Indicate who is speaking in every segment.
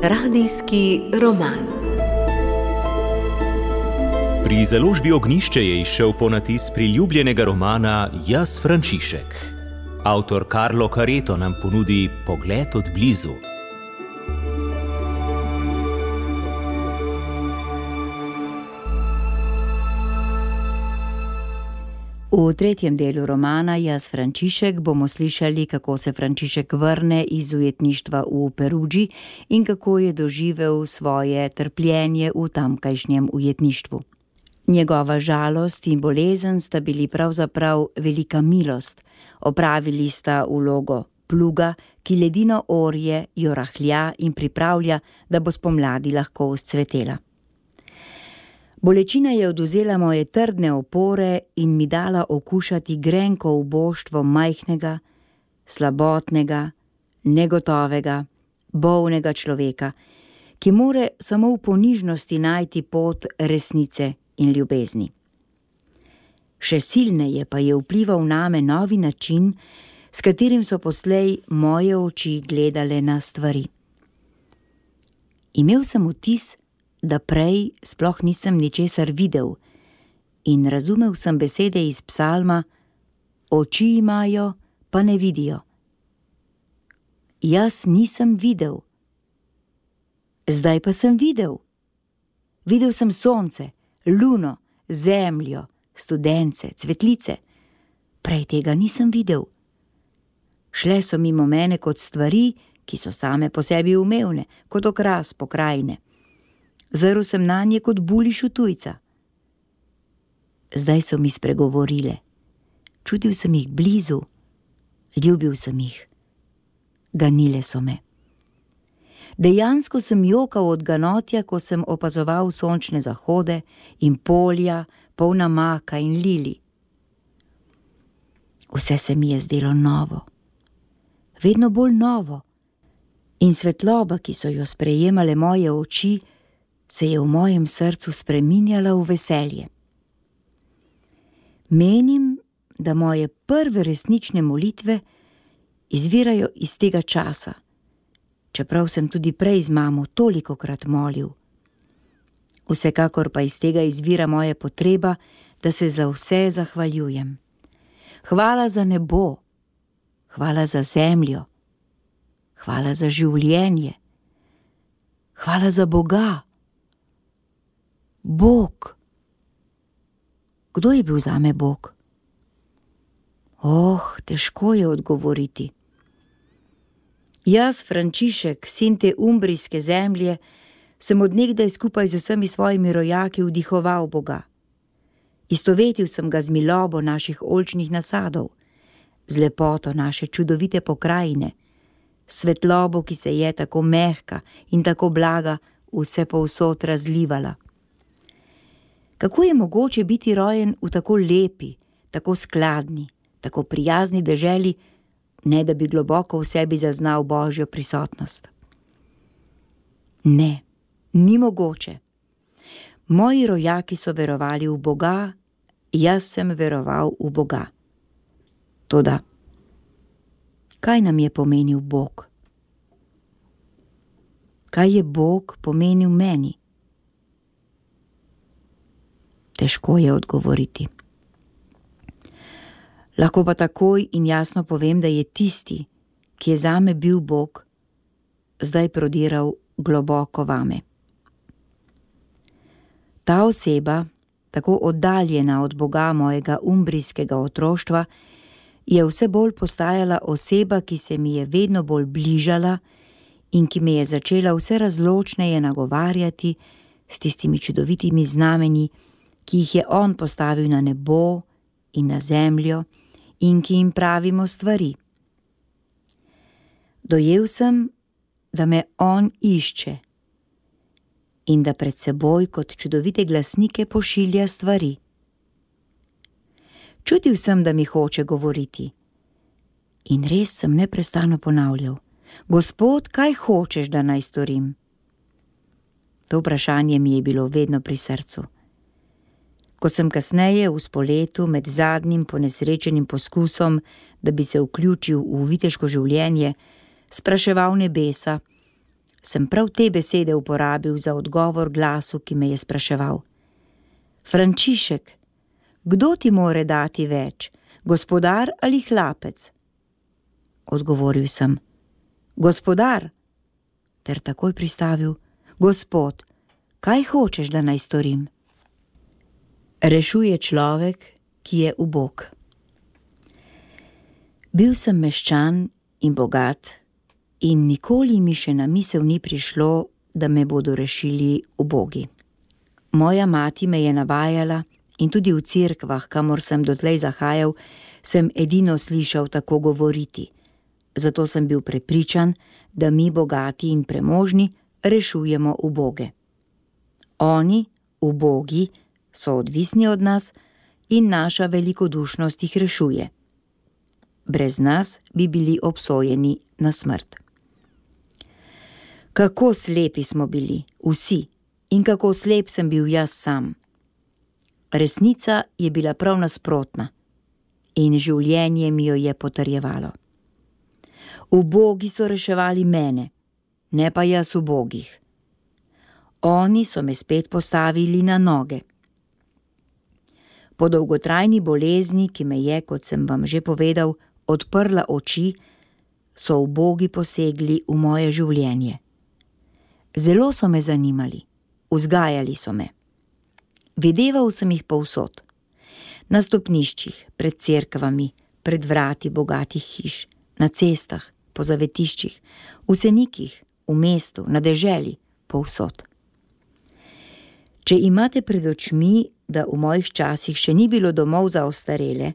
Speaker 1: Radijski roman.
Speaker 2: Pri založbi Ognjišče je izšel ponatis priljubljenega romana Jaz, Frančišek. Avtor Carlo Careto nam ponudi pogled od blizu.
Speaker 3: V tretjem delu romana Jaz, Frančišek bomo slišali, kako se Frančišek vrne iz ujetništva v Perugii in kako je doživel svoje trpljenje v tamkajšnjem ujetništvu. Njegova žalost in bolezen sta bili pravzaprav velika milost. Opravili sta vlogo pluga, ki ledino orje jo rahlja in pripravlja, da bo spomladi lahko vzcvetela. Bolečina je odvzela moje trdne opore in mi dala okušati grenko uboštvo majhnega, slabotnega, negotovega, bolnega človeka, ki more samo v ponižnosti najti pot resnice in ljubezni. Še silneje pa je vplival name novi način, s katerim so poslej moje oči gledale na stvari. Imel sem vtis, da prej sploh nisem ničesar videl in razumel sem besede iz psalma: oči imajo, pa ne vidijo. Jaz nisem videl. Zdaj pa sem videl. Videl sem sonce, luno, zemljo, studence, cvetlice. Prej tega nisem videl. Šle so mimo mene kot stvari, ki so same po sebi umevne, kot okras pokrajine. Zrl sem nanje kot buliš v tujca. Zdaj so mi spregovorile. Čutil sem jih blizu, ljubil sem jih. Ganile so me. Dejansko sem jokal od ganotja, ko sem opazoval sončne zahode in polja, polna maka in lili. Vse se mi je zdelo novo. Vedno bolj novo. In svetloba, ki so jo sprejemale moje oči, se je v mojem srcu spreminjala v veselje. Menim, da moje prve resnične molitve izvirajo iz tega časa, čeprav sem tudi prej z mamo tolikokrat molil. Vsekakor pa iz tega izvira moja potreba, da se za vse zahvaljujem. Hvala za nebo, hvala za zemljo, hvala za življenje, hvala za Boga. Bog. Kdo je bil zame Bog? Težko je odgovoriti. Jaz, Frančišek, sin te umbrijske zemlje, sem od nekdaj skupaj z vsemi svojimi rojaki vdihoval Boga. Istovetil sem ga z milobo naših oljčnih nasadov, z lepoto naše čudovite pokrajine, svetlobo, ki se je tako mehka in tako blaga vse povsod razlivala. Kako je mogoče biti rojen v tako lepi, tako skladni, tako prijazni deželi, ne da bi globoko v sebi zaznal Božjo prisotnost? Ne, ni mogoče. Moji rojaki so verovali v Boga, jaz sem veroval v Boga. Toda, kaj nam je pomenil Bog? Kaj je Bog pomenil meni? Težko je odgovoriti. Lahko pa takoj in jasno povem, da je tisti, ki je zame bil Bog, zdaj prodiral globoko vame. Ta oseba, tako oddaljena od Boga mojega umbrijskega otroštva, je vse bolj postajala oseba, ki se mi je vedno bolj bližala in ki me je začela vse razločneje nagovarjati s tistimi čudovitimi znamenji, ki jih je on postavil na nebo in na zemljo in ki jim pravimo stvari. Dojel sem, da me on išče in da pred seboj kot čudovite glasnike pošilja stvari. Čutil sem, da mi hoče govoriti in res sem neprestano ponavljal: Gospod, kaj hočeš, da naj storim? To vprašanje mi je bilo vedno pri srcu. Ko sem kasneje v spoletu med zadnjim ponesrečenim poskusom, da bi se vključil v viteško življenje, spraševal nebesa, sem prav te besede uporabil za odgovor glasu, ki me je spraševal: Frančišek, kdo ti more dati več, gospodar ali hlapec? Odgovoril sem: Gospodar, ter takoj pristavil: Gospod, kaj hočeš, da naj storim? Rešuje človek, ki je ubog. Bil sem meščan in bogat in nikoli mi še na misel ni prišlo, da me bodo rešili ubogi. Moja mati me je navajala in tudi v cerkvah, kamor sem dotlej zahajal, sem edino slišal tako govoriti. Zato sem bil prepričan, da mi bogati in premožni rešujemo uboge. Oni, ubogi, so odvisni od nas in naša velikodušnost jih rešuje. Brez nas bi bili obsojeni na smrt. Kako slepi smo bili, vsi, in kako slep sem bil jaz sam. Resnica je bila prav nasprotna in življenje mi jo je potrjevalo. Ubogi so reševali mene, ne pa jaz ubogih. Oni so me spet postavili na noge. Po dolgotrajni bolezni, ki me je, kot sem vam že povedal, odprla oči, so ubogi posegli v moje življenje. Zelo so me zanimali, vzgajali so me. Videval sem jih povsod. Na stopniščih, pred cerkvami, pred vrati bogatih hiš, na cestah, po zavetiščih, v senikih, v mestu, na deželi, povsod. Če imate pred očmi, da v mojih časih še ni bilo domov za ostarele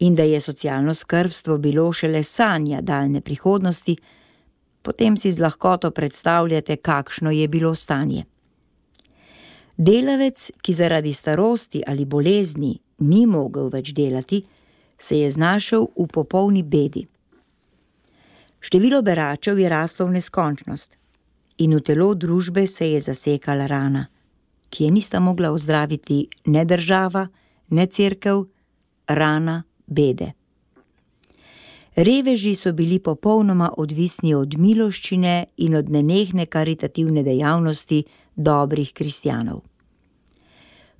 Speaker 3: in da je socialno skrbstvo bilo šele sanja daljne prihodnosti, potem si z lahkoto predstavljate, kakšno je bilo stanje. Delavec, ki zaradi starosti ali bolezni ni mogel več delati, se je znašel v popolni bedi. Število beračev je raslo v neskončnost in v telo družbe se je zasekala rana, ki je nista mogla ozdraviti ne država, ne cerkev, rana bede. Reveži so bili popolnoma odvisni od miloščine in od nenehne karitativne dejavnosti dobrih kristjanov.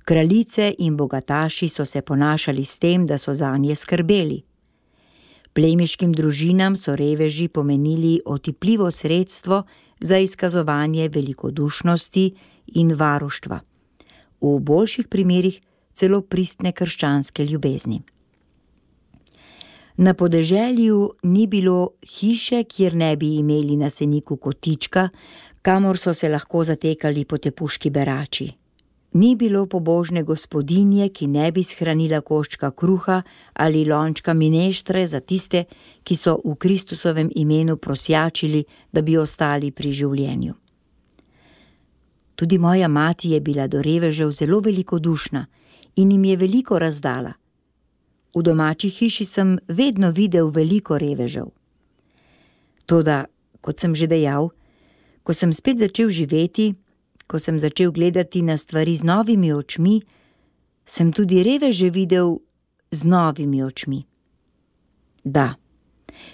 Speaker 3: Kraljice in bogataši so se ponašali s tem, da so zanje skrbeli. Plemiškim družinam so reveži pomenili otipljivo sredstvo za izkazovanje velikodušnosti in varuštva, v boljših primerih celo pristne krščanske ljubezni. Na podeželju ni bilo hiše, kjer ne bi imeli na seniku kotička, kamor so se lahko zatekali potepuški berači. Ni bilo pobožne gospodinje, ki ne bi shranila koščka kruha ali lončka mineštre za tiste, ki so v Kristusovem imenu prosjačili, da bi ostali pri življenju. Tudi moja mati je bila do revežev zelo velikodušna in jim je veliko razdala. V domači hiši sem vedno videl veliko revežev. Toda, kot sem že dejal, ko sem spet začel živeti, ko sem začel gledati na stvari z novimi očmi, sem tudi reveže videl z novimi očmi. Da,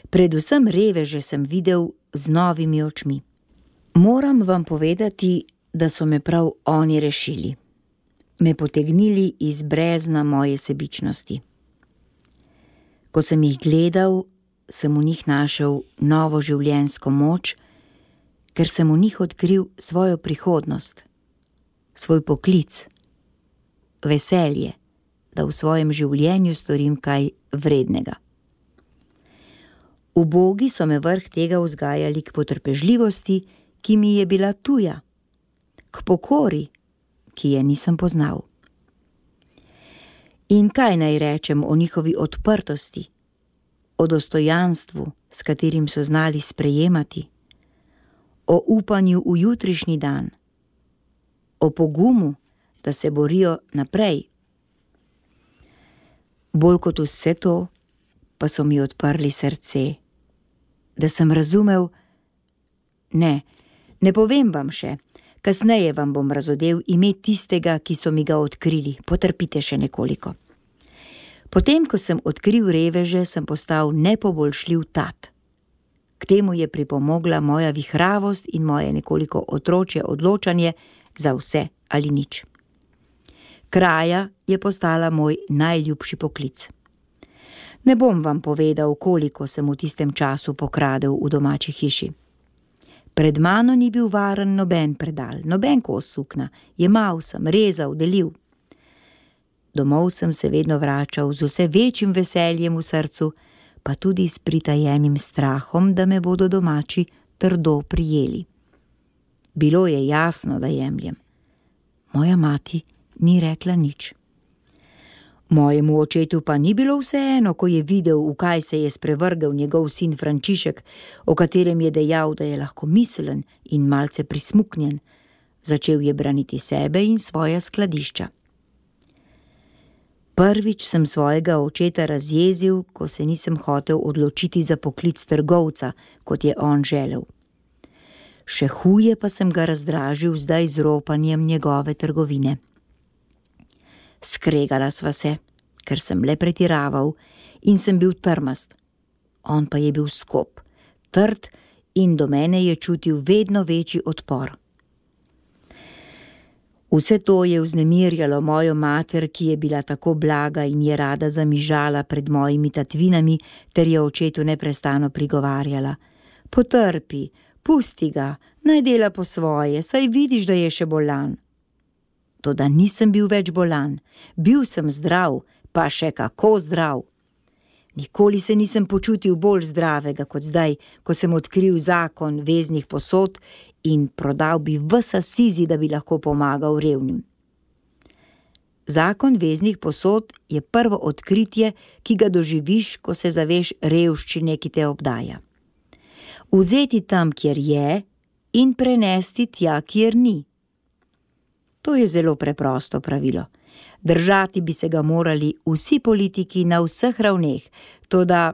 Speaker 3: predvsem reveže sem videl z novimi očmi. Moram vam povedati, da so me prav oni rešili. Me potegnili iz brezna moje sebičnosti. Ko sem jih gledal, sem v njih našel novo življenjsko moč, ker sem v njih odkril svojo prihodnost, svoj poklic, veselje, da v svojem življenju storim kaj vrednega. Ubogi so me vrh tega vzgajali k potrpežljivosti, ki mi je bila tuja, k pokori, ki je nisem poznal. In kaj naj rečem o njihovi odprtosti, o dostojanstvu, s katerim so znali sprejemati, o upanju v jutrišnji dan, o pogumu, da se borijo naprej. Bolj kot vse to, pa so mi odprli srce, da sem razumel, ne povem vam še, Kasneje vam bom razodel ime tistega, ki so mi ga odkrili. Potrpite še nekoliko. Potem, ko sem odkril reveže, sem postal nepoboljšljiv tat. K temu je pripomogla moja vihravost in moje nekoliko otročje odločanje za vse ali nič. Kraja je postala moj najljubši poklic. Ne bom vam povedal, koliko sem v tistem času pokradel v domači hiši. Pred mano ni bil varen noben predal, noben kos sukna, jemal sem, rezal, delil. Domov sem se vedno vračal z vse večjim veseljem v srcu, pa tudi s pritajenim strahom, da me bodo domači trdo prijeli. Bilo je jasno, da jemljem. Moja mati ni rekla nič. Mojemu očetu pa ni bilo vseeno, ko je videl, v kaj se je sprevrgel njegov sin Frančišek, o katerem je dejal, da je lahko mislen in malce prismuknjen. Začel je braniti sebe in svoja skladišča. Prvič sem svojega očeta razjezil, ko se nisem hotel odločiti za poklic trgovca, kot je on želel. Še huje pa sem ga razdražil zdaj z ropanjem njegove trgovine. Skregala sva se, ker sem le pretiraval in sem bil trmast. On pa je bil skop, trd in do mene je čutil vedno večji odpor. Vse to je vznemirjalo mojo mater, ki je bila tako blaga in je rada zamižala pred mojimi tatvinami, ter je očetu neprestano prigovarjala. Potrpi, pusti ga, naj dela po svoje, saj vidiš, da je še bolan. Toda nisem bil več bolan, bil sem zdrav, pa še kako zdrav. Nikoli se nisem počutil bolj zdravega kot zdaj, ko sem odkril zakon veznih posod in prodal bi ves Asizi, da bi lahko pomagal revnim. Zakon veznih posod je prvo odkritje, ki ga doživiš, ko se zaveš revščine, ki te obdaja. Vzeti tam, kjer je, in prenesti tja, kjer ni. To je zelo preprosto pravilo. Držati bi se ga morali vsi politiki na vseh ravneh, toda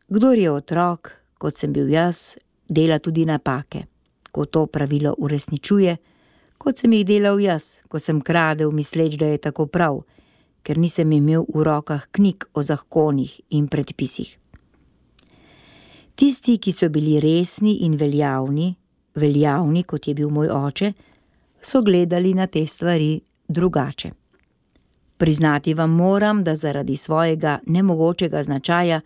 Speaker 3: kdor je otrok, kot sem bil jaz, dela tudi napake, ko to pravilo uresničuje, kot sem jih delal jaz, ko sem kradel, misleč, da je tako prav, ker nisem imel v rokah knjig o zakonih in predpisih. Tisti, ki so bili resni in veljavni, kot je bil moj oče, so gledali na te stvari drugače. Priznati vam moram, da zaradi svojega nemogočega značaja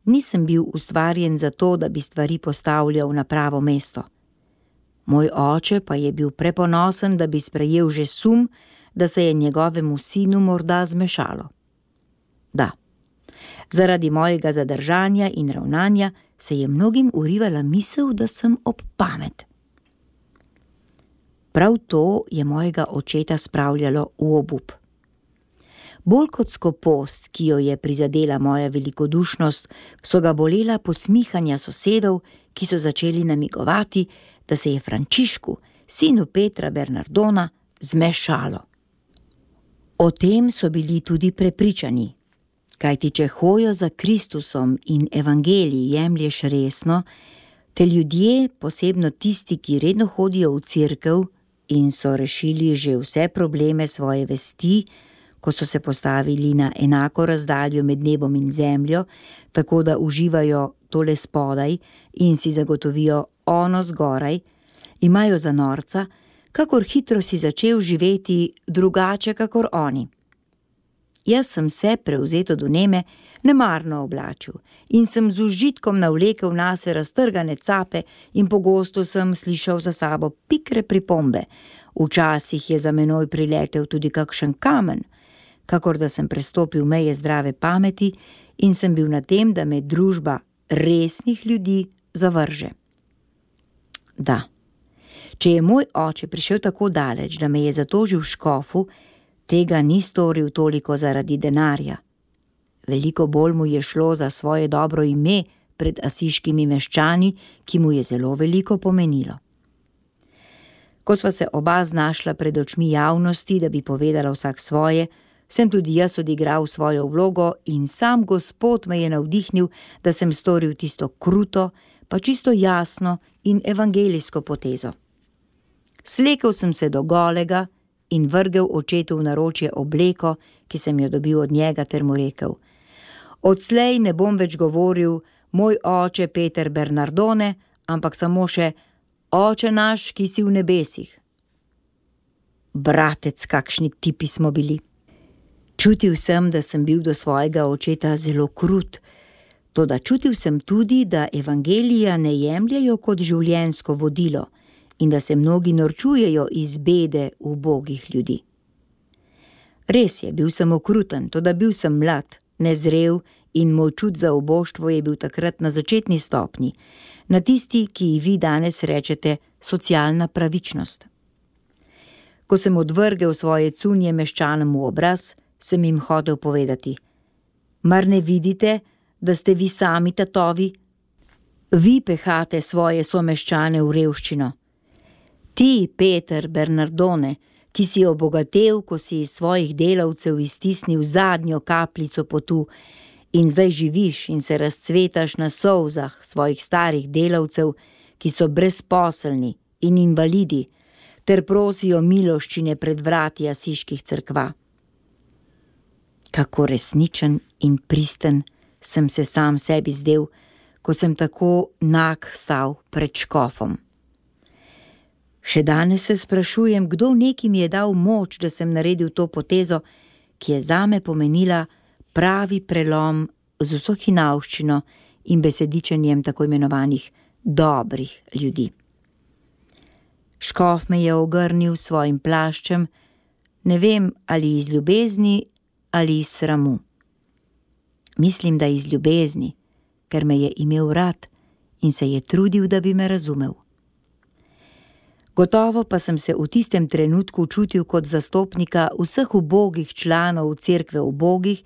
Speaker 3: nisem bil ustvarjen za to, da bi stvari postavljal na pravo mesto. Moj oče pa je bil preponosen, da bi sprejel že sum, da se je njegovemu sinu morda zmešalo. Da, zaradi mojega zadržanja in ravnanja se je mnogim urivala misel, da sem ob pamet. Prav to je mojega očeta spravljalo v obup. Bolj kot skopost, ki jo je prizadela moja velikodušnost, so ga bolela posmihanja sosedov, ki so začeli namigovati, da se je Frančišku, sinu Petra Bernardona, zmešalo. O tem so bili tudi prepričani, kajti če hojo za Kristusom in evangelij jemlješ resno, te ljudje, posebno tisti, ki redno hodijo v cerkev in so rešili že vse probleme svoje vesti, ko so se postavili na enako razdaljo med nebom in zemljo, tako da uživajo tole spodaj in si zagotovijo ono zgoraj, imajo za norca, kakor hitro si začel živeti drugače kakor oni. Jaz sem se, prevzeto do neme, nemarno oblačil in sem z užitkom navlekel nase raztrgane cape in pogosto sem slišal za sabo pikre pripombe. Včasih je za menoj priletel tudi kakšen kamen, kakor da sem prestopil meje zdrave pameti in sem bil na tem, da me družba resnih ljudi zavrže. Da, če je moj oče prišel tako daleč, da me je zatožil škofu, tega ni storil toliko zaradi denarja. Veliko bolj mu je šlo za svoje dobro ime pred asiškimi meščani, ki mu je zelo veliko pomenilo. Ko sva se oba znašla pred očmi javnosti, da bi povedala vsak svoje, sem tudi jaz odigral svojo vlogo in sam Gospod me je navdihnil, da sem storil tisto kruto, pa čisto jasno in evangelijsko potezo. Slekel sem se do golega in vrgel očetu v naročje obleko, ki sem jo dobil od njega, ter mu rekel: odslej ne bom več govoril moj oče Peter Bernardone, ampak samo še oče naš, ki si v nebesih. Bratec, kakšni tipi smo bili. Čutil sem, da sem bil do svojega očeta zelo krut, toda čutil sem tudi, da evangelija ne jemljejo kot življenjsko vodilo in da se mnogi norčujejo iz bede ubogih ljudi. Res je, bil sem okruten, toda bil sem mlad, nezrel in moj čut za uboštvo je bil takrat na začetni stopnji, na tisti, ki ji vi danes rečete socialna pravičnost. Ko sem odvrgel svoje cunje meščanom v obraz, sem jim hotel povedati: mar ne vidite, da ste vi sami tatovi? Vi pehate svoje someščane v revščino. Ti, Peter Bernardone, ki si obogatel, ko si iz svojih delavcev iztisnil zadnjo kapljico potu in zdaj živiš in se razcvetaš na solzah svojih starih delavcev, ki so brezposelni in invalidi, ter prosijo miloščine pred vrati asiških cerkva. Kako resničen in pristen sem se sam sebi zdel, ko sem tako nag stal pred škofom. Še danes se sprašujem, kdo neki mi je dal moč, da sem naredil to potezo, ki je zame pomenila pravi prelom z vso hinavščino in besedičenjem tako imenovanih dobrih ljudi. Škof me je ogrnil s svojim plaščem, ne vem, ali iz ljubezni ali iz sramu. Mislim, da iz ljubezni, ker me je imel rad in se je trudil, da bi me razumel. Gotovo pa sem se v tistem trenutku čutil kot zastopnika vseh ubogih članov cerkve ubogih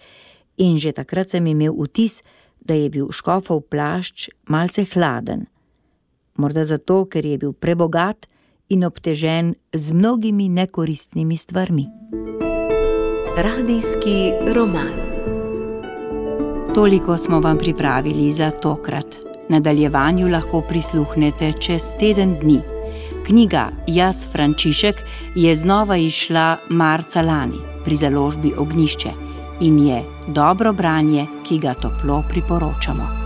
Speaker 3: in že takrat sem imel vtis, da je bil škofov plašč malce hladen. Morda zato, ker je bil prebogat in obtežen z mnogimi nekoristnimi stvarmi.
Speaker 1: Radijski roman.
Speaker 4: Toliko smo vam pripravili za tokrat. Nadaljevanju lahko prisluhnete čez teden dni. Knjiga Jaz Frančišek je znova izšla marca lani pri založbi Ognjišče in je dobro branje, ki ga toplo priporočamo.